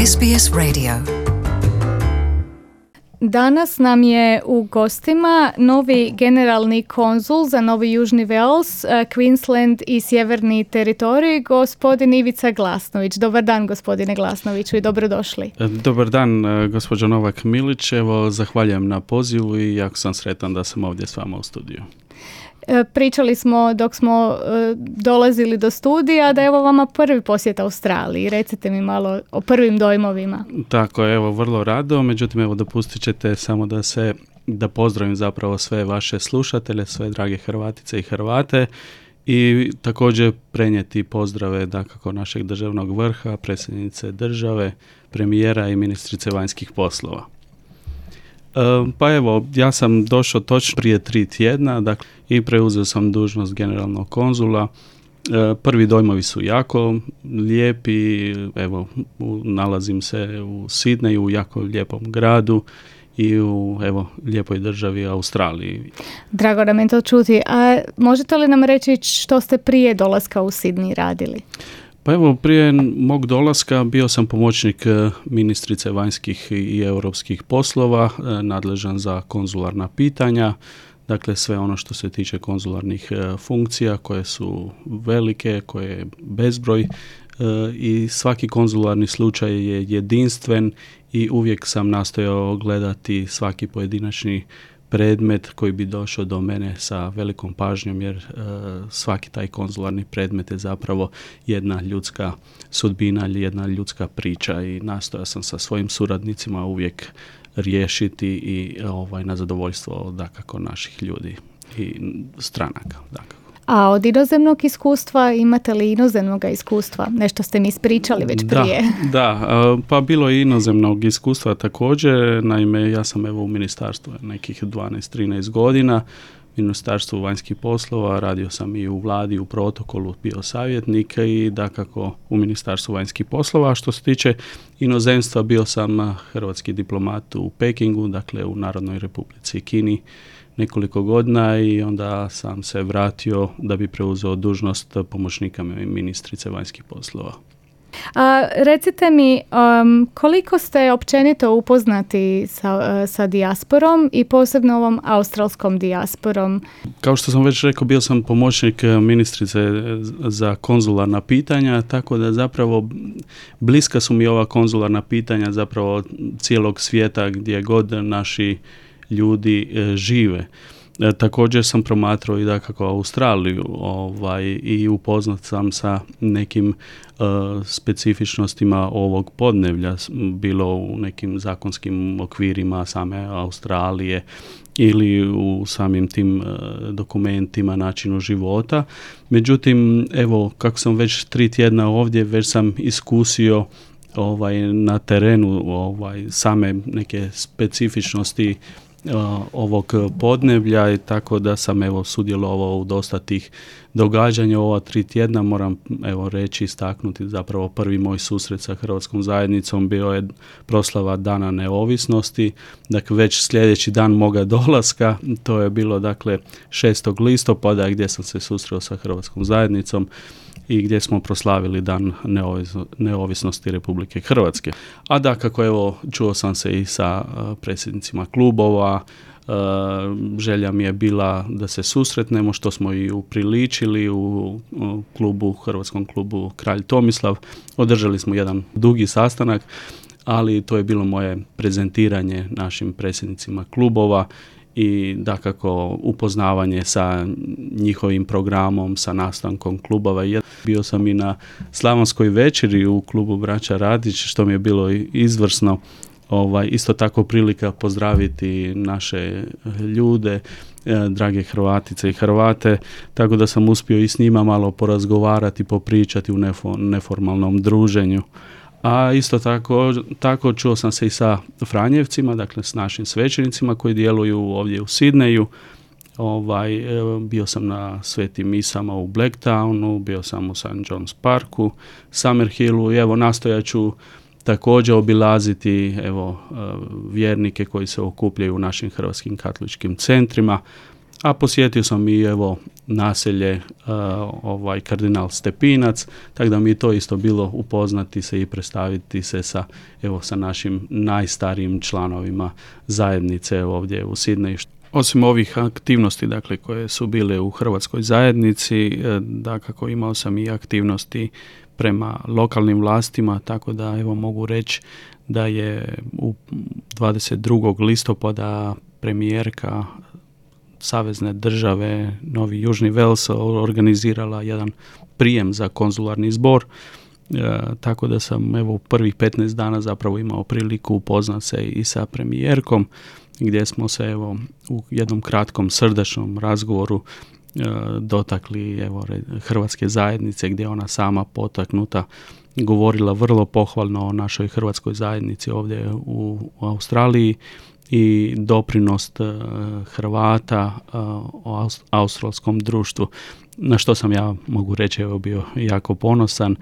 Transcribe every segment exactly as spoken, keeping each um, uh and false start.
S B S Radio. Danas nam je u gostima novi generalni konzul za Novi Južni Wales, Queensland i Sjeverni teritorij, gospodin Ivica Glasnović. Dobar dan, gospodine Glasnoviću, i dobrodošli. Dobar dan, gospođo Novak Milić. Evo, zahvaljujem na pozivu i jako sam sretan da sam ovdje s vama u studiju. Pričali smo dok smo dolazili do studija da je ovo vama prvi posjet Australiji. Recite mi malo o prvim dojmovima. Tako je, evo, vrlo rado. Međutim, evo, dopustit ćete samo da se, da pozdravim zapravo sve vaše slušatelje, sve drage Hrvatice i Hrvate i također prenijeti pozdrave dakako našeg državnog vrha, predsjednice države, premijera i ministrice vanjskih poslova. Pa evo, ja sam došao točno prije tri tjedna dakle, i preuzeo sam dužnost generalnog konzula. Prvi dojmovi su jako lijepi, evo, nalazim se u Sidneju, u jako lijepom gradu i u, evo, lijepoj državi Australiji. Drago nam je to čuti. A možete li nam reći što ste prije dolaska u Sidney radili? Pa evo, prije mog dolaska bio sam pomoćnik ministrice vanjskih i europskih poslova, nadležan za konzularna pitanja, dakle sve ono što se tiče konzularnih funkcija koje su velike, koje je bezbroj i svaki konzularni slučaj je jedinstven i uvijek sam nastojao gledati svaki pojedinačni predmet koji bi došao do mene sa velikom pažnjom jer e, svaki taj konzularni predmet je zapravo jedna ljudska sudbina ili jedna ljudska priča i nastojao sam sa svojim suradnicima uvijek riješiti i ovaj, na zadovoljstvo dakako naših ljudi i stranaka dakako. A od inozemnog iskustva imate li inozemnog iskustva? Nešto ste mi ispričali već prije. Da, da, pa bilo je inozemnog iskustva također. Naime, ja sam evo u ministarstvu nekih dvanaest trinaest godina, Ministarstvu vanjskih poslova, radio sam i u vladi, u protokolu, bio savjetnik i dakako u Ministarstvu vanjskih poslova. A što se tiče inozemstva, bio sam hrvatski diplomat u Pekingu, dakle u Narodnoj Republici Kini, nekoliko godina i onda sam se vratio da bi preuzeo dužnost pomoćnika ministrice vanjskih poslova. A, recite mi, um, koliko ste općenito upoznati sa, sa dijasporom i posebno ovom australskom dijasporom? Kao što sam već rekao, bio sam pomoćnik ministrice za konzularna pitanja, tako da zapravo bliska su mi ova konzularna pitanja zapravo cijelog svijeta gdje god naši ljudi e, žive. E, također sam promatrao i dakako Australiju ovaj, i upoznat sam sa nekim e, specifičnostima ovog podneblja, bilo u nekim zakonskim okvirima same Australije ili u samim tim e, dokumentima, načinu života. Međutim, evo, kako sam već tri tjedna ovdje, već sam iskusio ovaj, na terenu ovaj, same neke specifičnosti ovog podneblja i tako da sam evo sudjelovao u dosta tih događanja ova tri tjedna. Moram evo reći, istaknuti zapravo prvi moj susret sa hrvatskom zajednicom bio je proslava Dana neovisnosti, dakle već sljedeći dan moga dolaska, to je bilo dakle šestog listopada gdje sam se susreo sa hrvatskom zajednicom i gdje smo proslavili dan neovisno, neovisnosti Republike Hrvatske. A dakako, evo, čuo sam se i sa uh, predsjednicima klubova, uh, želja mi je bila da se susretnemo, što smo i upriličili u, u klubu, hrvatskom klubu Kralj Tomislav. Održali smo jedan dugi sastanak, ali to je bilo moje prezentiranje našim predsjednicima klubova i dakako upoznavanje sa njihovim programom, sa nastankom klubova. Bio sam i na slavonskoj večeri u klubu Braća Radić, što mi je bilo izvrsno. Ovaj, isto tako prilika pozdraviti naše ljude, drage Hrvatice i Hrvate, tako da sam uspio i s njima malo porazgovarati, popričati u neformalnom druženju. A isto tako, tako čuo sam se i sa Franjevcima, dakle s našim svećenicima koji djeluju ovdje u Sidneju. Ovaj, bio sam na svetim misama u Blacktownu, bio sam u Saint John's Parku, Summerhillu i evo nastojat ću također obilaziti evo, vjernike koji se okupljaju u našim hrvatskim katoličkim centrima. a posjetio sam i evo naselje uh, ovaj kardinal Stepinac, tako da mi je to isto bilo upoznati se i predstaviti se sa evo sa našim najstarijim članovima zajednice ovdje u Sidneju. Osim ovih aktivnosti, dakle, koje su bile u hrvatskoj zajednici, dakako imao sam i aktivnosti prema lokalnim vlastima, tako da evo mogu reći da je u dvadeset drugog listopada premijerka savezne države Novi Južni Vels organizirala jedan prijem za konzularni zbor, e, tako da sam evo u prvih petnaest dana zapravo imao priliku upoznat se i sa premijerkom, gdje smo se evo u jednom kratkom srdačnom razgovoru e, dotakli evo hrvatske zajednice, gdje ona sama potaknuta govorila vrlo pohvalno o našoj hrvatskoj zajednici ovdje u, u Australiji i doprinost uh, Hrvata uh, o australskom društvu, na što sam ja, mogu reći, evo bio jako ponosan.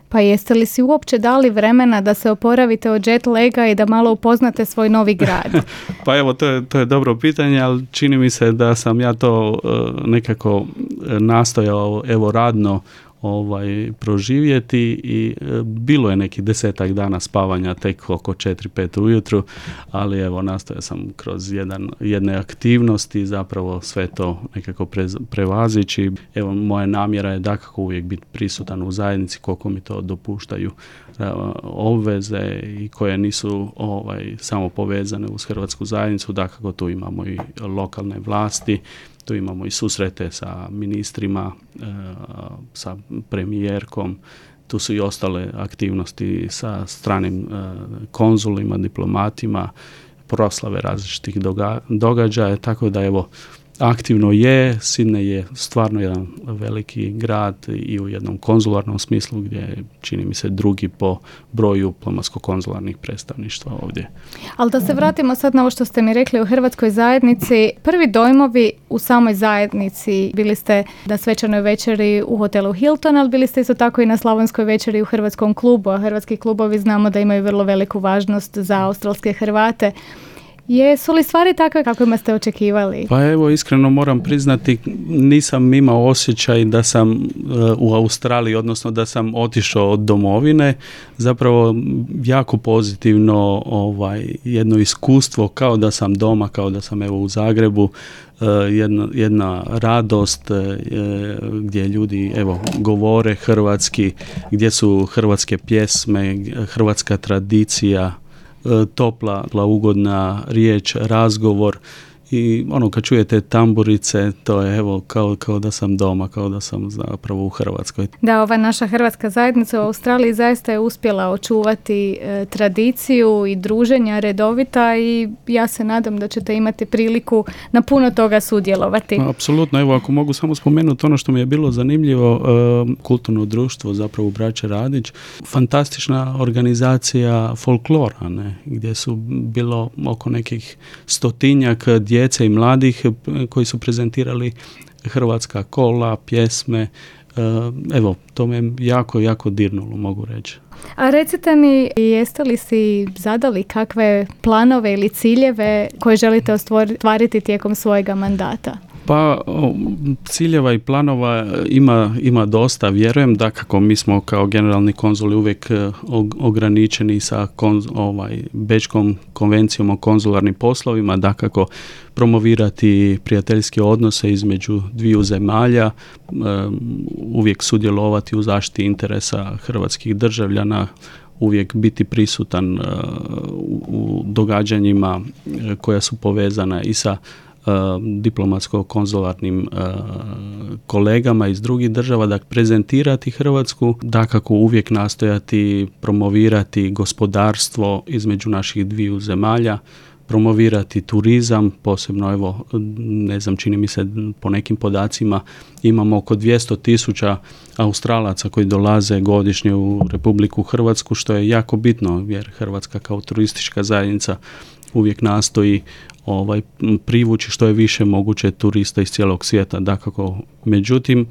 Pa jeste li si uopće dali vremena da se oporavite od jet laga i da malo upoznate svoj novi grad? Pa evo, to je, to je dobro pitanje, ali čini mi se da sam ja to uh, nekako nastojao evo radno ovaj proživjeti i e, bilo je nekih desetak dana spavanja tek oko četiri pet ujutru, ali evo nastojao sam kroz jedan, jedne aktivnosti zapravo sve to nekako pre, prevazići. Evo moja namjera je dakako uvijek biti prisutan u zajednici koliko mi to dopuštaju e, obveze i koje nisu ovaj samo povezane uz hrvatsku zajednicu. Dakako tu imamo i lokalne vlasti, tu imamo i susrete sa ministrima, e, sa premijerkom, tu su i ostale aktivnosti sa stranim e, konzulima, diplomatima, proslave različitih doga- događaja, tako da evo aktivno je. Sidney je stvarno jedan veliki grad i u jednom konzularnom smislu gdje je, čini mi se, drugi po broju diplomatsko-konzularnih predstavništva ovdje. Ali da se vratimo sad na ovo što ste mi rekli o hrvatskoj zajednici. Prvi dojmovi u samoj zajednici, bili ste na svečanoj večeri u hotelu Hilton, ali bili ste isto tako i na slavonskoj večeri u hrvatskom klubu, a hrvatski klubovi znamo da imaju vrlo veliku važnost za australske Hrvate. Jesu li stvari takve kakvima ste očekivali? Pa evo, iskreno moram priznati, nisam imao osjećaj da sam uh, u Australiji, odnosno da sam otišao od domovine. Zapravo jako pozitivno ovaj, jedno iskustvo, kao da sam doma, kao da sam evo u Zagrebu. Uh, jedna, jedna radost uh, gdje ljudi evo govore hrvatski, gdje su hrvatske pjesme, hrvatska tradicija, topla, ugodna riječ, razgovor i ono kad čujete tamburice, to je evo kao, kao da sam doma, kao da sam zapravo u Hrvatskoj. Da, ova naša hrvatska zajednica u Australiji zaista je uspjela očuvati e, tradiciju i druženja redovita i ja se nadam da ćete imati priliku na puno toga sudjelovati. Apsolutno, evo ako mogu samo spomenuti ono što mi je bilo zanimljivo, e, kulturno društvo zapravo u Braće Radić, fantastična organizacija folklora, ne, gdje su bilo oko nekih stotinjak djece i mladih koji su prezentirali hrvatska kola, pjesme. Evo, to me jako, jako dirnulo, mogu reći. A recite mi, jeste li si zadali kakve planove ili ciljeve koje želite ostvariti tijekom svojega mandata? Pa ciljeva i planova ima, ima dosta, vjerujem da kako mi smo kao generalni konzuli uvijek ograničeni sa konz, ovaj, Bečkom konvencijom o konzularnim poslovima, da kako promovirati prijateljske odnose između dviju zemalja, uvijek sudjelovati u zaštiti interesa hrvatskih državljana, uvijek biti prisutan u događanjima koja su povezana i sa diplomatsko-konzularnim uh, kolegama iz drugih država, da prezentirati Hrvatsku, dakako uvijek nastojati promovirati gospodarstvo između naših dviju zemalja, promovirati turizam, posebno evo, ne znam, čini mi se po nekim podacima imamo oko dvjesto tisuća Australaca koji dolaze godišnje u Republiku Hrvatsku, što je jako bitno jer Hrvatska kao turistička zajednica uvijek nastoji ovaj privući što je više moguće turista iz cijelog svijeta, dakako. Međutim,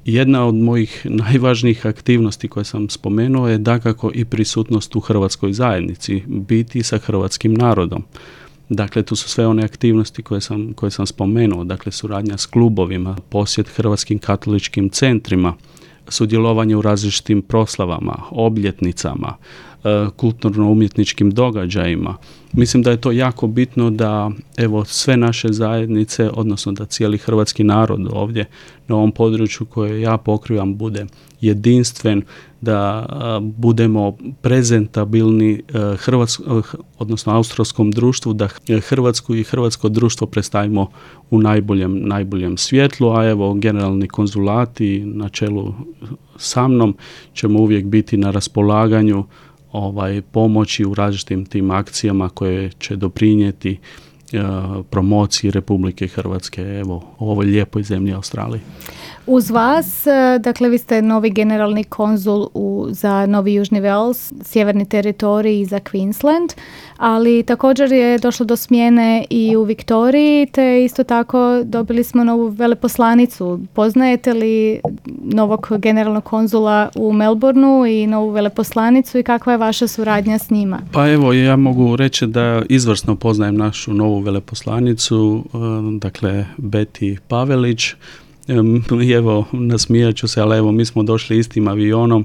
jedna od mojih najvažnijih aktivnosti koje sam spomenuo je dakako i prisutnost u hrvatskoj zajednici, biti sa hrvatskim narodom. Dakle, tu su sve one aktivnosti koje sam, koje sam spomenuo, dakle suradnja s klubovima, posjet hrvatskim katoličkim centrima, sudjelovanje u različitim proslavama, obljetnicama, kulturno-umjetničkim događajima. Mislim da je to jako bitno da evo sve naše zajednice, odnosno da cijeli hrvatski narod ovdje na ovom području koje ja pokrivam bude jedinstven, da budemo prezentabilni hrvatsko, odnosno australskom društvu, da Hrvatsku i hrvatsko društvo predstavimo u najboljem, najboljem svjetlu, a evo generalni konzulati na čelu sa mnom ćemo uvijek biti na raspolaganju ovaj pomoći u različitim tim akcijama koje će doprinijeti uh, promociji Republike Hrvatske evo u ovoj lijepoj zemlji Australiji. Uz vas, dakle vi ste novi generalni konzul u, za Novi Južni Wales, sjeverni teritorij i za Queensland, ali također je došlo do smjene i u Viktoriji, te isto tako dobili smo novu veleposlanicu. Poznajete li novog generalnog konzula u Melbourneu i novu veleposlanicu i kakva je vaša suradnja s njima? Pa evo, ja mogu reći da izvrsno poznajem našu novu veleposlanicu, dakle Beti Pavelić. Evo, nasmijat ću se, ali evo, mi smo došli istim avionom,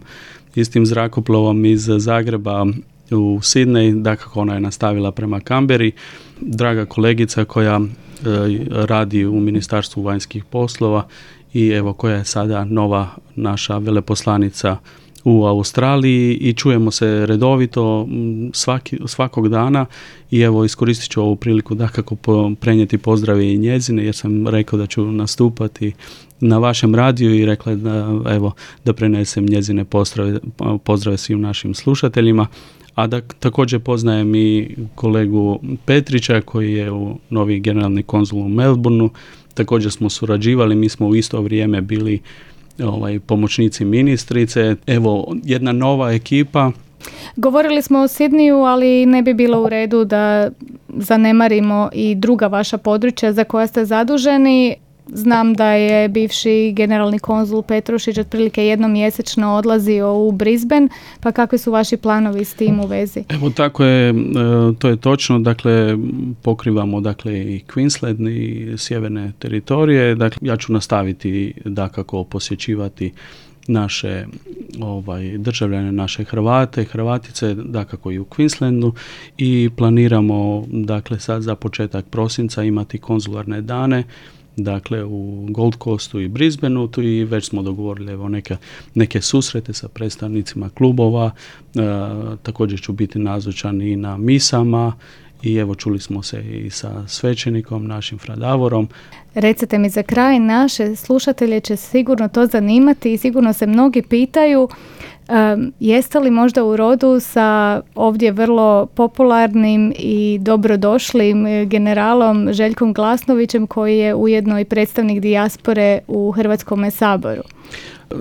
istim zrakoplovom iz Zagreba u Sidney, dakako ona je nastavila prema Kamberi. Draga kolegica koja e, radi u Ministarstvu vanjskih poslova i evo koja je sada nova naša veleposlanica u Australiji i čujemo se redovito svaki, svakog dana i evo iskoristit ću ovu priliku dakako prenijeti pozdrave i njezine jer sam rekao da ću nastupati na vašem radiju i rekla da evo da prenesem njezine pozdrave, pozdrave svim našim slušateljima. A da također poznajem i kolegu Petrića koji je u novi generalni konzul u Melbourneu. Također smo surađivali, mi smo u isto vrijeme bili ovaj, pomoćnici ministrice. Evo, jedna nova ekipa. Govorili smo o Sidneyu, ali ne bi bilo u redu da zanemarimo i druga vaša područja za koja ste zaduženi. Znam da je bivši generalni konzul Petrušić otprilike jednom mjesečno odlazio u Brisbane, pa kakvi su vaši planovi s tim u vezi? Evo tako je, to je točno, dakle pokrivamo dakle i Queensland i sjeverne teritorije, dakle ja ću nastaviti dakako posjećivati naše ovaj, državljane, naše Hrvate, Hrvatice, dakako i u Queenslandu i planiramo dakle sad za početak prosinca imati konzularne dane dakle u Gold Coastu i Brisbaneu, tu i već smo dogovorili evo neke, neke susrete sa predstavnicima klubova, e, također ću biti nazočan i na misama i evo čuli smo se i sa svećenikom, našim Fra Davorom. Recite mi za kraj, naše slušatelje će sigurno to zanimati i sigurno se mnogi pitaju Um, jeste li možda u rodu sa ovdje vrlo popularnim i dobrodošlim generalom Željkom Glasnovićem koji je ujedno i predstavnik dijaspore u Hrvatskome saboru?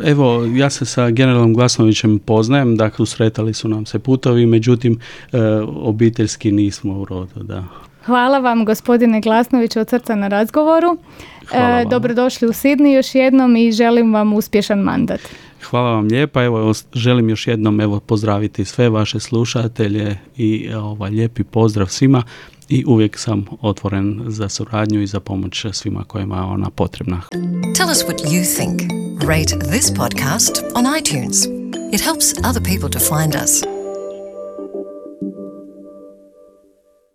Evo, ja se sa generalom Glasnovićem poznajem, dakle sretali su nam se putovi, međutim e, obiteljski nismo u rodu, da. Hvala vam gospodine Glasnović od srca na razgovoru. E, dobrodošli u Sidney još jednom i želim vam uspješan mandat. Hvala vam lijepa, evo želim još jednom evo pozdraviti sve vaše slušatelje i ovaj lijepi pozdrav svima i uvijek sam otvoren za suradnju i za pomoć svima kojima je ona potrebna. Tell us what you think. Rate this podcast on iTunes. It helps other people to find us.